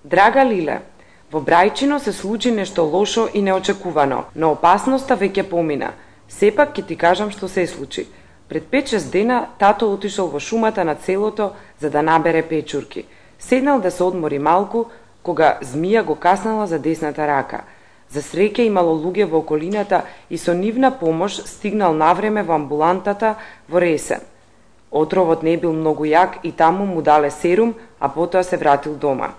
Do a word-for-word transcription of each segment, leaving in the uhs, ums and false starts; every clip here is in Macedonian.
Драга Лиле, во Брајчино се случи нешто лошо и неочекувано, но опасноста веќе помина. Сепак ќе ти кажам што се случи. Пред пет-шест дена тато отишол во шумата на селото за да набере печурки. Седнал да се одмори малку, кога змија го каснала за десната рака. За среќа имало луѓе во околината и со нивна помош стигнал навреме во амбулантата во Ресен. Отровот не бил многу јак и таму му дале серум, а потоа се вратил дома.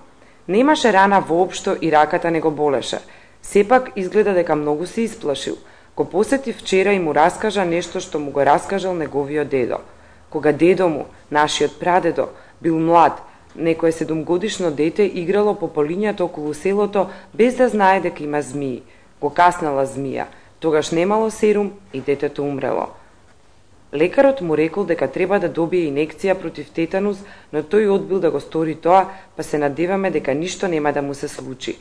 Немаше рана воопшто и раката не го болеше. Сепак изгледа дека многу се исплашил. Го посети вчера и му раскажа нешто што му го раскажал неговиот дедо. Кога дедо му, нашиот прадедо, бил млад, некое седумгодишно дете играло по полињата околу селото без да знае дека има змии. Го каснала змија, тогаш немало серум и детето умрело. Лекарот му рекол дека треба да добие инекција против тетанус, но тој одбил да го стори тоа, па се надеваме дека ништо нема да му се случи.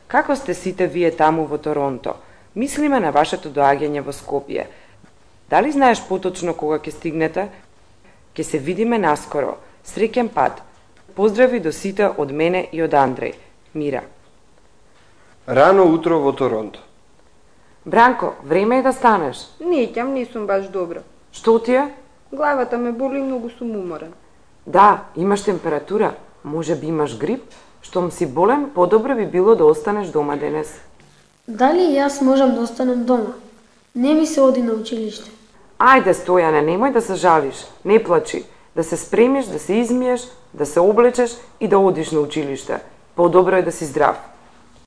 Како сте сите вие таму во Торонто? Мислиме на вашето доаѓање во Скопје. Дали знаеш поточно кога ќе стигнете? Ќе се видиме наскоро. Среќен пат. Поздрави до сите од мене и од Андреј. Мира. Рано утро во Торонто. Бранко, време е да станеш. Неќам, не сум баш добра. Што ти е? Главата ме боли и многу сум уморен. Да, имаш температура. Може би имаш грип. Штом си болен, подобро би било да останеш дома денес. Дали и јас можам да останам дома? Не ми се оди на училиште. Ајде, Стојане, немој да се жалиш. Не плачи. Да се спремиш, да се измиеш, да се облечеш и да одиш на училиште. Подобро е да си здрав.